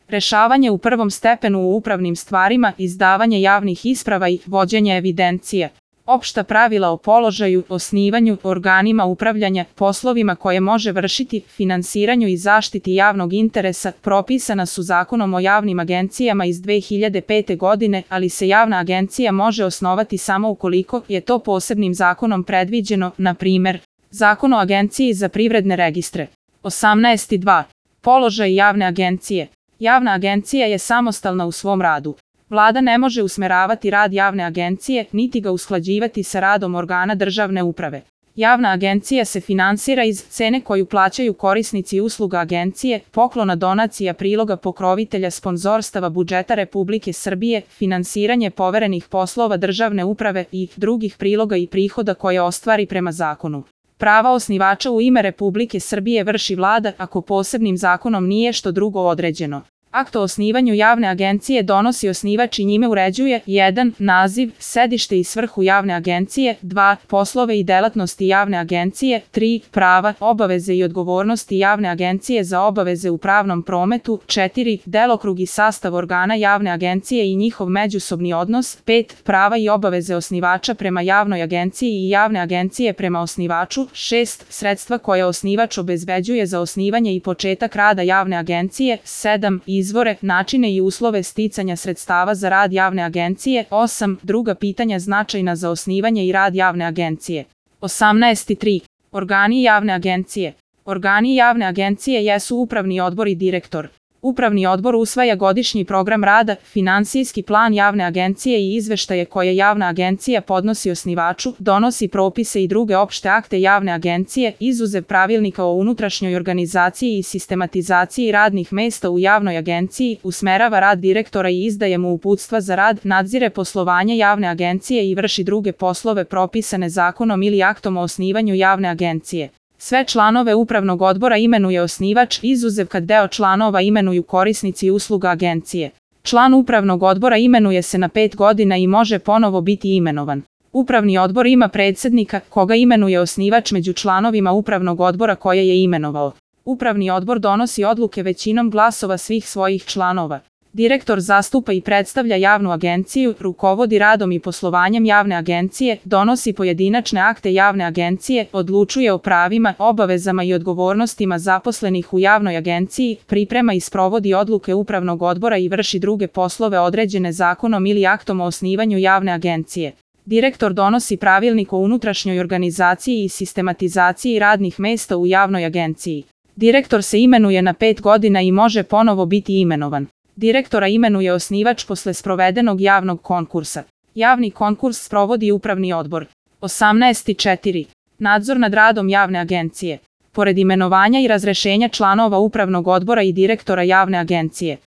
rešavanje u prvom stepenu u upravnim stvarima, izdavanje javnih isprava i vođenje evidencije. Opšta pravila o položaju, osnivanju, organima upravljanja, poslovima koje može vršiti, finansiranju i zaštiti javnog interesa propisana su Zakonom o javnim agencijama iz 2005. godine, ali se javna agencija može osnovati samo ukoliko je to posebnim zakonom predviđeno, na primer, Zakon o agenciji za privredne registre. 18.2. Položaj javne agencije. Javna agencija je samostalna u svom radu. Vlada ne može usmeravati rad javne agencije, niti ga usklađivati sa radom organa državne uprave. Javna agencija se finansira iz cene koju plaćaju korisnici usluga agencije, poklona, donacija, priloga, pokrovitelja, sponzorstava, budžeta Republike Srbije, finansiranje poverenih poslova državne uprave i drugih priloga i prihoda koje ostvari prema zakonu. Prava osnivača u ime Republike Srbije vrši Vlada ako posebnim zakonom nije što drugo određeno. Akt o osnivanju javne agencije donosi osnivač i njime uređuje 1. Naziv, sedište i svrhu javne agencije, 2. Poslove i delatnosti javne agencije, 3. Prava, obaveze i odgovornosti javne agencije za obaveze u pravnom prometu, 4. Delokrug i sastav organa javne agencije i njihov međusobni odnos, 5. Prava i obaveze osnivača prema javnoj agenciji i javne agencije prema osnivaču, 6. Sredstva koje osnivač obezbeđuje za osnivanje i početak rada javne agencije, 7. Izvore, načine i uslove sticanja sredstava za rad javne agencije, 8. Druga pitanja značajna za osnivanje i rad javne agencije. 18.3. Organi javne agencije. Organi javne agencije jesu upravni odbor i direktor. Upravni odbor usvaja godišnji program rada, finansijski plan javne agencije i izveštaje koje javna agencija podnosi osnivaču, donosi propise i druge opšte akte javne agencije, izuzev pravilnika o unutrašnjoj organizaciji i sistematizaciji radnih mesta u javnoj agenciji, usmerava rad direktora i izdaje mu uputstva za rad, nadzire poslovanje javne agencije i vrši druge poslove propisane zakonom ili aktom o osnivanju javne agencije. Sve članove upravnog odbora imenuje osnivač, izuzev kad deo članova imenuju korisnici usluga agencije. Član upravnog odbora imenuje se na 5 godina i može ponovo biti imenovan. Upravni odbor ima predsednika, koga imenuje osnivač među članovima upravnog odbora koje je imenovao. Upravni odbor donosi odluke većinom glasova svih svojih članova. Direktor zastupa i predstavlja javnu agenciju, rukovodi radom i poslovanjem javne agencije, donosi pojedinačne akte javne agencije, odlučuje o pravima, obavezama i odgovornostima zaposlenih u javnoj agenciji, priprema i sprovodi odluke upravnog odbora i vrši druge poslove određene zakonom ili aktom o osnivanju javne agencije. Direktor donosi pravilnik o unutrašnjoj organizaciji i sistematizaciji radnih mesta u javnoj agenciji. Direktor se imenuje na 5 godina i može ponovo biti imenovan. Direktora imenuje osnivač posle sprovedenog javnog konkursa. Javni konkurs sprovodi upravni odbor. 18.4. Nadzor nad radom javne agencije. Pored imenovanja i razrešenja članova upravnog odbora i direktora javne agencije,